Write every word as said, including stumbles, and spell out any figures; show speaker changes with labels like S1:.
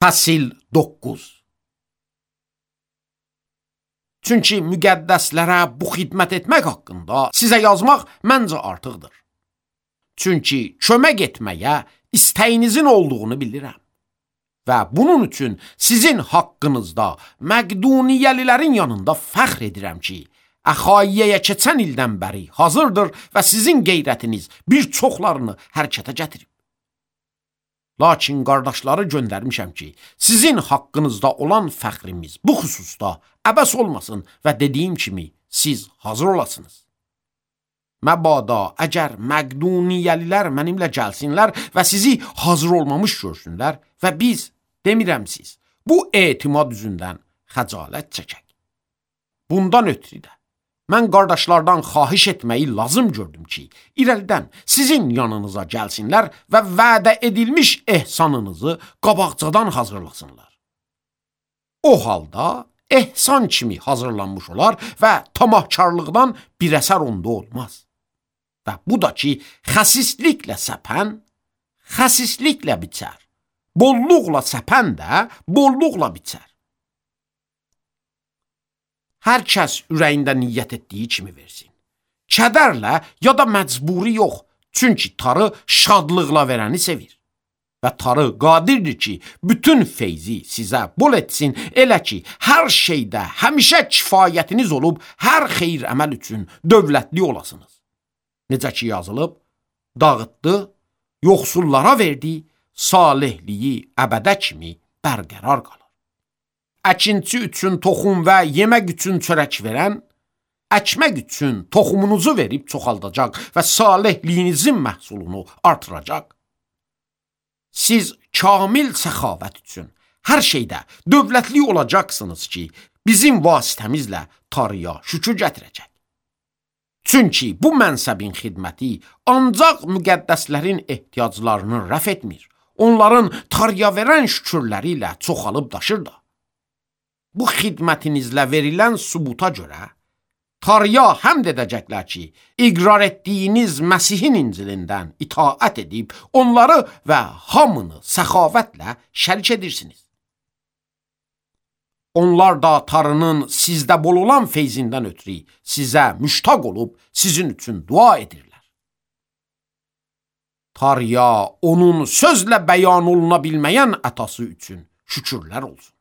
S1: Fəsil doqquz. Çünki müqəddəslərə bu xidmət etmək haqqında sizə yazmaq məncə artıqdır. Çünki kömək etməyə istəyinizin olduğunu bilirəm. Və bunun üçün sizin haqqınızda Məqduniyəlilərin yanında fəxr edirəm ki, Əxaiyəyə keçən ildən bəri hazırdır və sizin qeyrətiniz bir çoxlarını hərəkətə gətirib. Lakin qardaşları göndərmişəm ki, sizin haqqınızda olan fəxrimiz bu xüsusda əbəs olmasın və dediyim kimi siz hazır olasınız. Məbada əgər Məqduniyəlilər mənimlə gəlsinlər və sizi hazır olmamış görsünlər və biz, demirəm siz, bu etimad üzündən xəcalət çəkək. Bundan ötürü də mən qardaşlardan xahiş etməyi lazım gördüm ki, irəlidən sizin yanınıza gəlsinlər və vədə edilmiş ehsanınızı qabaqcadan hazırlasınlar. O halda ehsan kimi hazırlanmış olar və tamahkarlıqdan bir əsər onda olmaz. Və bu da ki, xəsisliklə səpən, xəsisliklə biçər. Bolluqla səpən də bolluqla biçər. Hər kəs ürəyində niyyət etdiyi kimi versin. Kədərlə ya da məcburi yox, çünki tarı şadlıqla verəni sevir. Və tarı qadirdir ki, bütün feyzi sizə bol etsin, elə ki, hər şeydə həmişə kifayətiniz olub, hər xeyir əməl üçün dövlətli olasınız. Necə ki yazılıb, dağıtdı, yoxsullara verdi, salihliyi əbədə kimi bərqərar qalır. Əkinçi üçün toxum və yemək üçün çörək verən, əkmək üçün toxumunuzu verib çoxaldacaq və salihliyinizin məhsulunu artıracaq. Siz kamil səxavət üçün hər şeydə dövlətli olacaqsınız ki, bizim vasitəmizlə tarıya şükür gətirəcək. Çünki bu mənsəbin xidməti ancaq müqəddəslərin ehtiyaclarını rəf etmir, onların tarıya verən şükürləri ilə çoxalıb daşır da. Bu xidmətinizlə verilən sübuta görə tarıya həmd edəcəklər ki, iqrar etdiyiniz Məsihin İncilindən itaət edib, onları və hamını səxavətlə şərik edirsiniz. Onlar da tarının sizdə bol olan feyzindən ötürü sizə müştaq olub, sizin üçün dua edirlər. Tarıya onun sözlə bəyan oluna bilməyən ətası üçün şükürlər olsun.